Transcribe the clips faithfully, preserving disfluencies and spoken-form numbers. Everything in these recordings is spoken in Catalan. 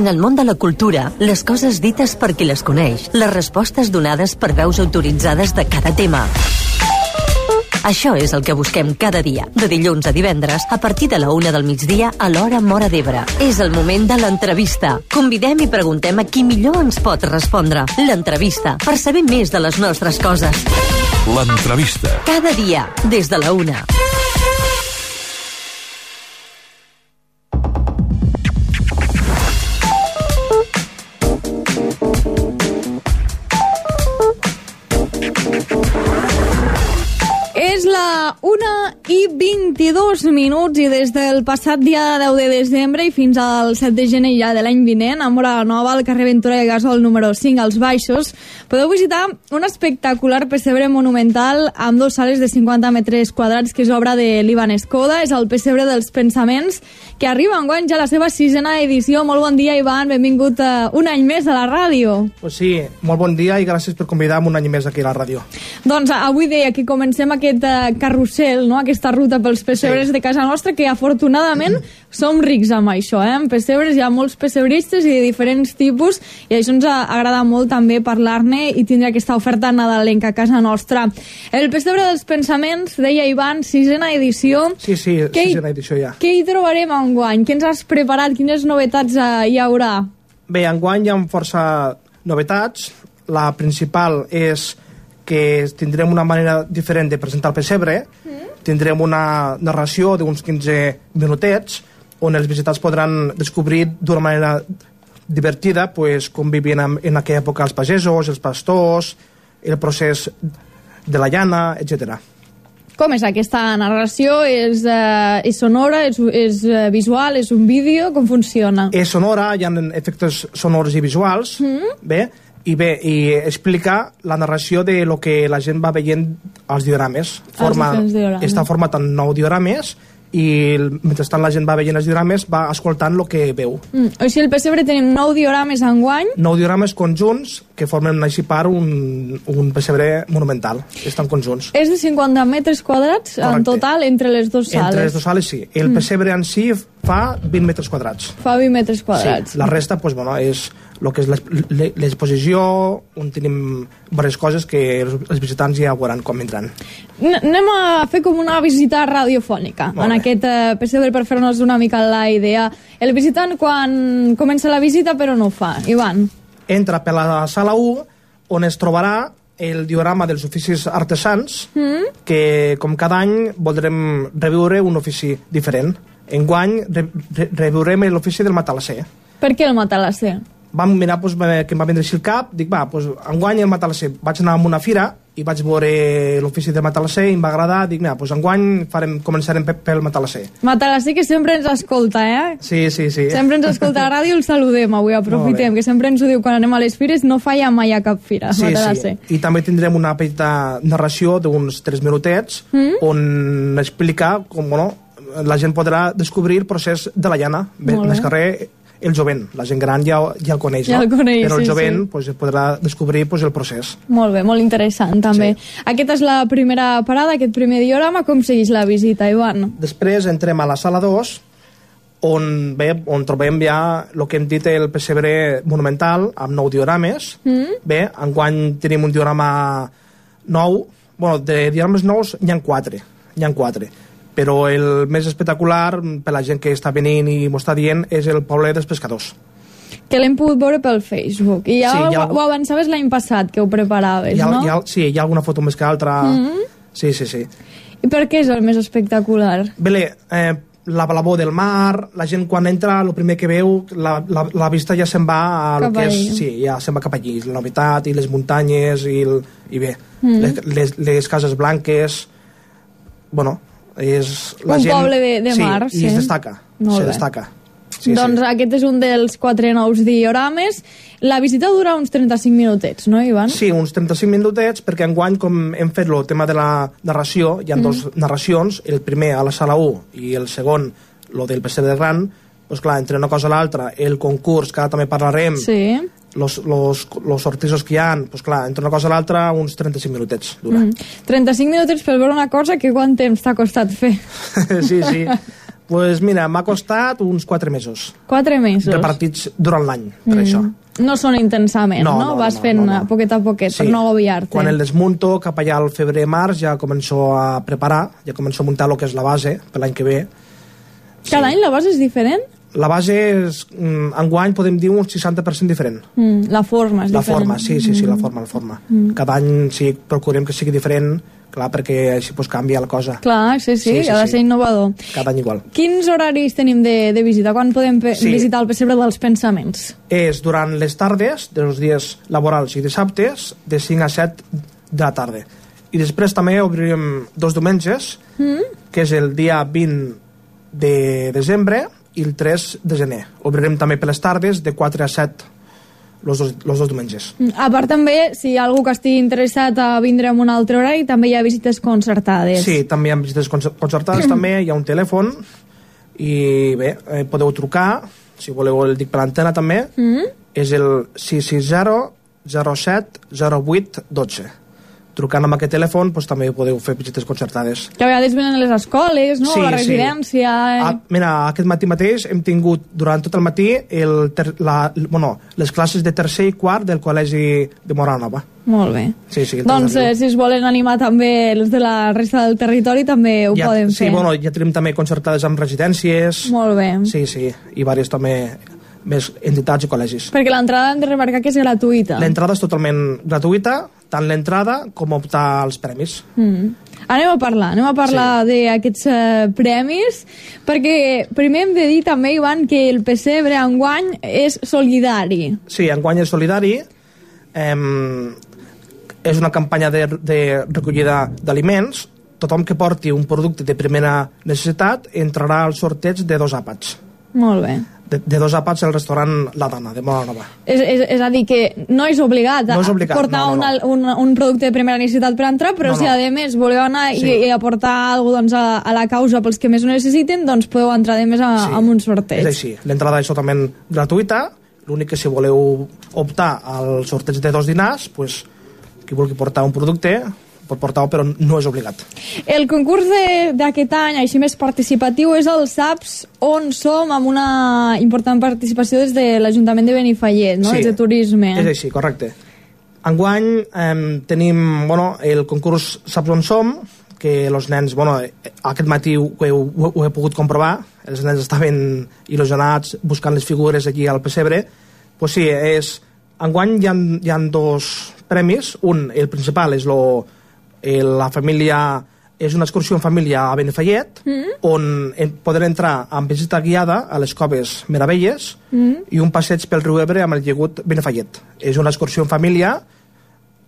En el món de la cultura, les coses dites per qui les coneix, les respostes donades per veus autoritzades de cada tema. Això és el que busquem cada dia, de dilluns a divendres, a partir de la una del migdia a l'hora Móra d'Ebre. És el moment de l'entrevista. Convidem i preguntem a qui millor ens pot respondre. L'entrevista, per saber més de les nostres coses. L'entrevista. Cada dia, des de la una. És la una i vint-i-dos minuts i des del passat dia deu de desembre i fins al set de gener ja de l'any vinent, a Móra Nova, al carrer Ventura de Gasol número cinc, als Baixos, podeu visitar un espectacular pessebre monumental amb dos sales de cinquanta metres quadrats que és obra de l'Ivan Escoda. És el pessebre dels pensaments que arriba enguany ja a la seva sisena edició. Molt bon dia, Ivan, benvingut uh, un any més a la ràdio. Pues sí, molt bon dia i gràcies per convidar-me un any més aquí a la ràdio. Doncs avui deia que comencem aquest uh, carrusel, no? Aquesta ruta pels pessebres sí. de casa nostra, que afortunadament som rics amb això, eh? En pessebres hi ha molts pessebristes i de diferents tipus, i això ens agrada molt també parlar-ne i tindre aquesta oferta nadalenca a casa nostra. El pessebre dels pensaments, deia Ivan, sisena edició. Sí, sí, què sisena edició ja. Què hi trobarem enguany? Què ens has preparat? Quines novetats uh, hi haurà? Bé, enguany hi ha força novetats. La principal és que tindrem una manera diferent de presentar el pessebre. Mm. Tindrem una narració d'uns quinze minutets on els visitants podran descobrir d'una manera divertida pues, com vivien en, en aquella època els pagesos, els pastors, el procés de la llana, etcètera. Com és aquesta narració? És, uh, és sonora? És, és uh, visual? És un vídeo? Com funciona? És sonora, hi ha efectes sonors i visuals, mm. bé, i bé, i explica la narració de lo que la gent va veient als diorames. Forma, diorames. Està format en nou diorames i mentrestant la gent va veient els diorames, va escoltant el que veu. Mm. O sigui, el pessebre tenim nou diorames enguany. Nou diorames conjunts que formen així part un, un pessebre monumental. Estan conjunts. És de cinquanta metres quadrats. Correcte. En total entre les dues sales. Entre les dues sales, sí. El mm. pessebre en si fa vint metres quadrats. Fa vint metres quadrats. Sí. La resta, pues, bueno, és el que és l'exposició, on tenim diverses coses que els visitants ja veuran com vindran. Anem a fer com una visita radiofònica en aquest uh, pessebre per fer-nos una mica la idea. El visitant quan comença la visita però no ho fa, Ivan? Entra per la sala u, on es trobarà el diorama dels oficis artesans, mm. que com cada any voldrem reviure un ofici diferent. Enguany re, re, reviurem l'ofici del matalasser. Per què el matalasser? Vam mirar, doncs, que em va vindre així el cap, dic, va, doncs, enguany el matalasser. Vaig anar a una fira i vaig veure l'ofici del matalasser i em va agradar, dic, mira, doncs enguany farem, començarem pel matalasser. Matalasser que sempre ens escolta, eh? Sí, sí, sí. Sempre ens escolta a la ràdio, el saludem avui, aprofitem, que sempre ens ho diu quan anem a les fires, no falla mai a cap fira, sí, matalasser. Sí, i també tindrem una petita narració d'uns tres minutets mm? on explica com, bueno, la gent podrà descobrir el procés de la llana. Més carrer, el jovent, la gent gran ja, ja el coneix, ja no? el coneix, però el sí, jovent sí. Pues, podrà descobrir pues, el procés. Molt bé, molt interessant també. Sí. Aquesta és la primera parada, aquest primer diorama. Com segueix la visita, Ivan? Després entrem a la sala dos, on, bé, on trobem ja el que hem dit el pessebre monumental amb nou diorames. Mm. Bé, enguany tenim un diorama nou, bueno, de diorames nous n'hi ha quatre, n'hi ha quatre. Però el més espectacular per la gent que està venint i m'ho està dient és el poble dels pescadors, que l'hem pogut veure pel Facebook i ja, sí, ja ho, ho avançaves l'any passat que ho preparaves, ha, no? Ha, sí, hi ha alguna foto més que altra. Mm-hmm. Sí, sí, sí. I per què és el més espectacular? Bé, eh, la blavor del mar, la gent quan entra el primer que veu, la, la, la vista ja se'n va a lo que és, sí, ja se'n va cap allí, la novetat i les muntanyes i, el, i bé, mm. les, les, les cases blanques, bueno, és la un gent, poble de, de mar, sí, sí. I es destaca, Molt se bé. destaca. Sí, doncs sí. Aquest és un dels quatre nous diorames. La visita dura uns trenta-cinc minutets, no, Ivan? Sí, uns trenta-cinc minutets, perquè enguany, com hem fet el tema de la narració, hi ha mm. dos narracions, el primer a la sala u i el segon, el del pessebre gran, doncs clar, entre una cosa i l'altra, el concurs, que ara també parlarem, sí. los, los, los sortisos que hi ha, doncs clar, entre una cosa i l'altra, uns trenta-cinc minutets dura. Mm. trenta-cinc minutets per veure una cosa que quant temps t'ha costat fer? Sí, sí. Pues mira, m'ha costat uns quatre mesos. Quatre mesos. Repartits durant l'any, per mm. això. No són intensament, no? No, no, Vas no, fent no, no. poquet a poquet, sí. per no agobiar-te. Quan el desmunto, cap allà al febrer-març, ja començo a preparar, ja començo a muntar el que és la base per l'any que ve. Cada sí. any la base és diferent? La base és, mm, enguany podem dir un seixanta per cent diferent. Mm, la forma és la diferent. La forma, sí, sí, sí, la forma, la forma. Mm. Cada any sí, procurem que sigui diferent, clar, perquè així pues, canvia la cosa. Clar, sí, sí, sí, sí ha de sí. ser innovador. Cada any igual. Quins horaris tenim de, de visita? Quan podem sí. visitar el pessebre dels pensaments? És durant les tardes, dels dies laborals i dissabtes, de cinc a set de la tarda. I després també obrirem dos diumenges, mm. que és el dia vint de desembre i el tres de gener. Obrirem també per les tardes de quatre a set los dos, los dos diumenges. A part també, si hi ha algú que estigui interessat a vindre en un altre horari, també hi ha visites concertades. Sí, també hi ha visites concertades, també hi ha un telèfon i bé, eh, podeu trucar, si voleu el dic per l'antena també, mm. és el sis sis zero zero set zero vuit dotze. Trucant amb aquest telèfon doncs, també podeu fer visites concertades. Que a vegades venen a les escoles, no? Sí, a la residència... Sí. Eh? Ah, mira, aquest matí mateix hem tingut durant tot el matí el ter, la, bueno, les classes de tercer i quart del col·legi de Móra-la-Nova. Molt bé. Sí, sí, doncs eh, si es volen animar també els de la resta del territori també ho ja, poden sí, fer. Sí, bueno, ja tenim també concertades amb residències. Molt bé. Sí, sí, i diverses també més entitats i col·legis. Perquè l'entrada hem de remarcar que és gratuïta. L'entrada és totalment gratuïta, tant l'entrada com optar als premis. Mm. Anem a parlar, anem a parlar sí. d'aquests uh, premis, perquè primer hem de dir també, Ivan, que el pessebre enguany és solidari. Sí, enguany és solidari. Eh, és una campanya de, de recollida d'aliments. Tothom que porti un producte de primera necessitat entrarà al sorteig de dos àpats. Molt bé. De, de dos àpats al restaurant La Dana, de Móra-la-Nova. És, és, és a dir, que no és obligat a no és obligat, portar no, no, no. Una, un, un producte de primera necessitat per entrar, però no, no. si a més voleu anar sí. i, i aportar alguna cosa doncs, a, a la causa pels que més ho necessiten, doncs podeu entrar de més a, sí. amb un sorteig. És així, l'entrada és totalment gratuïta, l'únic que si voleu optar al sorteig de dos dinars, pues, qui vulgui portar un producte pot portar-ho, però no és obligat. El concurs d'aquest any, així més participatiu, és el SAPS, on som amb una important participació des de l'Ajuntament de Benifallet, no? Sí, des de turisme. És així, correcte. Enguany eh, tenim bueno, el concurs SAPS on som, que els nens, bueno, aquest matí ho, ho, ho he pogut comprovar, els nens estaven il·lusionats buscant les figures aquí al pessebre. Pues sí, és, enguany hi ha, hi ha dos premis, un, el principal és lo la família, és una excursió en família a Benifallet, mm. on poden entrar amb visita guiada a les coves Meravelles mm. i un passeig pel riu Ebre amb el llegut Benifallet. És una excursió en família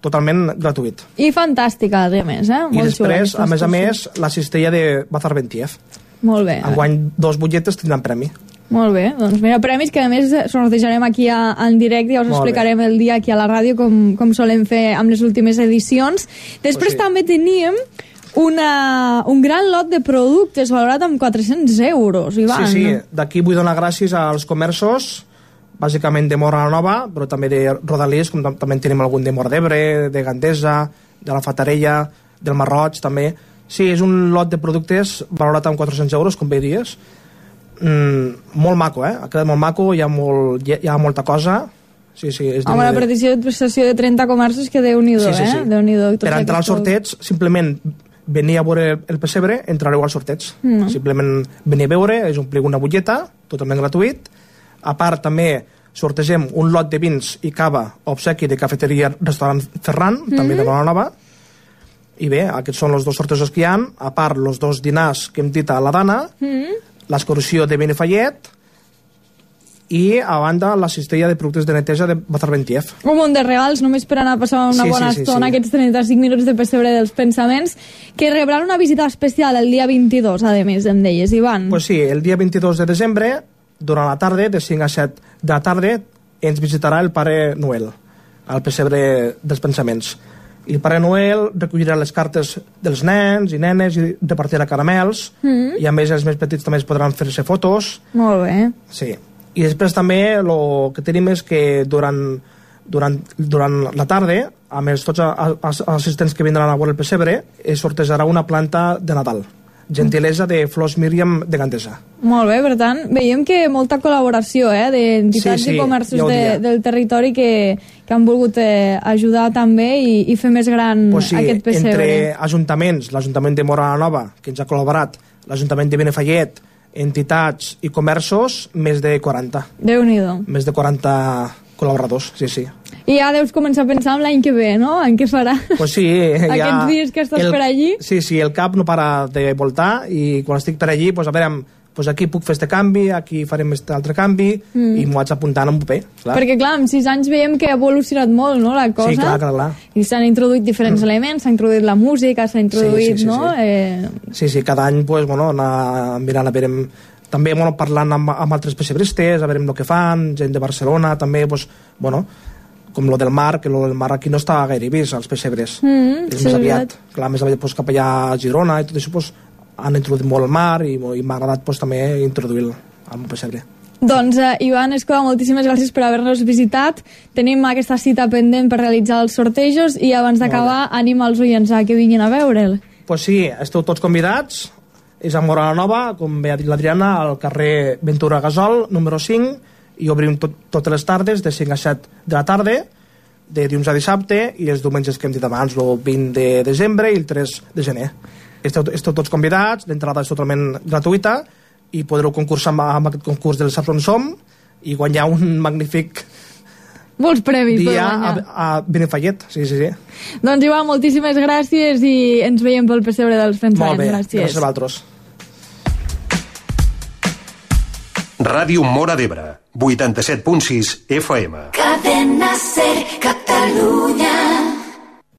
totalment gratuït. I fantàstica, a més, eh? I Molt després, a més a més, la cistella de Bazar Bentiev. Molt bé. Enguany, dos butlletes tindran premi. Molt bé, doncs mira, premis que a més sortejarem aquí a, en directe, ja us Molt explicarem bé. el dia aquí a la ràdio com, com solem fer amb les últimes edicions. Després pues sí. també teníem una, un gran lot de productes valorat amb quatre-cents euros, Ivan. Sí, sí, d'aquí vull donar gràcies als comerços, bàsicament de Móra-la-Nova, però també de Rodalies, com també tenim algun de Móra d'Ebre, de Gandesa, de la Fatarella, del Marroig, també. Sí, és un lot de productes valorat amb quatre-cents euros, com bé dies. Mm, molt maco, eh? Ha quedat molt maco, hi ha, molt, hi ha molta cosa. Sí, sí, és amb una de... petició de prestació de trenta comerços que Déu-n'hi-do, sí, sí, sí. eh? Déu-n'hi-do, per entrar al sorteig, simplement venir a veure el pessebre, entrareu al sorteig. Mm. Simplement venir a veure, és omplir una butlleta, totalment gratuït. A part, també sortegem un lot de vins i cava obsequi de cafeteria restaurant Ferran, mm. també de Móra-la-Nova. I bé, aquests són els dos sortejos que hi ha. A part, els dos dinars que hem dit a la Dana, mm. l'excursió de Benifallet i a banda la cistella de productes de neteja de Bazar Bentiev. Un munt de regals només per anar a passar una sí, bona sí, sí, estona, sí. aquests trenta-cinc minuts de pessebre dels pensaments, que rebran una visita especial el dia vint-i-dos, a més, em deies, Ivan. Pues sí, el dia vint-i-dos de desembre, durant la tarda, de cinc a set de la tarda, ens visitarà el Pare Noel al pessebre dels pensaments. I el Pare Noel recollirà les cartes dels nens i nenes i repartirà caramels, mm. i a més els més petits també es podran fer-se fotos. Molt bé. Sí. I després també el que tenim és que durant, durant, durant la tarda, amb els tots els assistents que vindran a veure el pessebre, es sortejarà una planta de Nadal. gentilesa de Flors Míriam de Gandesa. Molt bé, per tant, veiem que molta col·laboració eh, d'entitats sí, sí, i comerços ja de, del territori que, que han volgut eh, ajudar també i, i fer més gran pues sí, aquest pessebre. Entre ajuntaments, l'Ajuntament de Móra la Nova, que ens ha col·laborat, l'Ajuntament de Benifallet, entitats i comerços, més de quaranta. Déu-n'hi-do. Més de quaranta col·laboradors, sí, sí. I ja deus començar a pensar en l'any que ve, no? En què farà? Pues sí, Aquests ja dies que estàs el, per allí. Sí, sí, el cap no para de voltar i quan estic per allí, pues a veure, pues aquí puc fer este canvi, aquí farem este altre canvi mm. i m'ho vaig apuntant en un paper. Clar. Perquè clar, en sis anys veiem que ha evolucionat molt, no, la cosa. Sí, clar, clar, clar. I s'han introduït diferents mm. elements, s'ha introduït la música, s'ha introduït, sí, sí, sí, no? Sí. Eh... sí, sí, cada any, pues, bueno, anar mirant a veure... També, bueno, parlant amb, amb altres pessebristes, a veure el que fan, gent de Barcelona, també, pues, bueno, com lo del mar, que lo del mar aquí no està gaire vist, els pessebres. Mm, és sí, més aviat. Clar, més aviat, pues, cap allà a Girona i tot això, pues, han introduït molt el mar i, i m'ha agradat pues, també introduir-lo al pessebre. Doncs, eh, Ivan Escoda, moltíssimes gràcies per haver-nos visitat. Tenim aquesta cita pendent per realitzar els sortejos i abans d'acabar, anima els oients a que vinguin a veure'l. Pues sí, esteu tots convidats. És a Móra la Nova, com bé ha dit l'Adriana, al carrer Ventura Gasol, número cinc, i obrim tot, totes les tardes, de cinc a set de la tarda, de dilluns a dissabte, i els diumenges que hem dit abans, el vint de desembre i el tres de gener. Esteu, esteu tots convidats, l'entrada és totalment gratuïta, i podreu concursar amb, amb aquest concurs del Saps on som, i guanyar un magnífic... Molts premis per dia guanyar. a, a Benifallet, sí, sí, sí. Doncs, Ivan, moltíssimes gràcies i ens veiem pel pessebre dels Fents Molt bé, gràcies. gràcies a vosaltres. Ràdio Móra d'Ebre, vuitanta-set punt sis F M. Cadena Ser, Catalunya.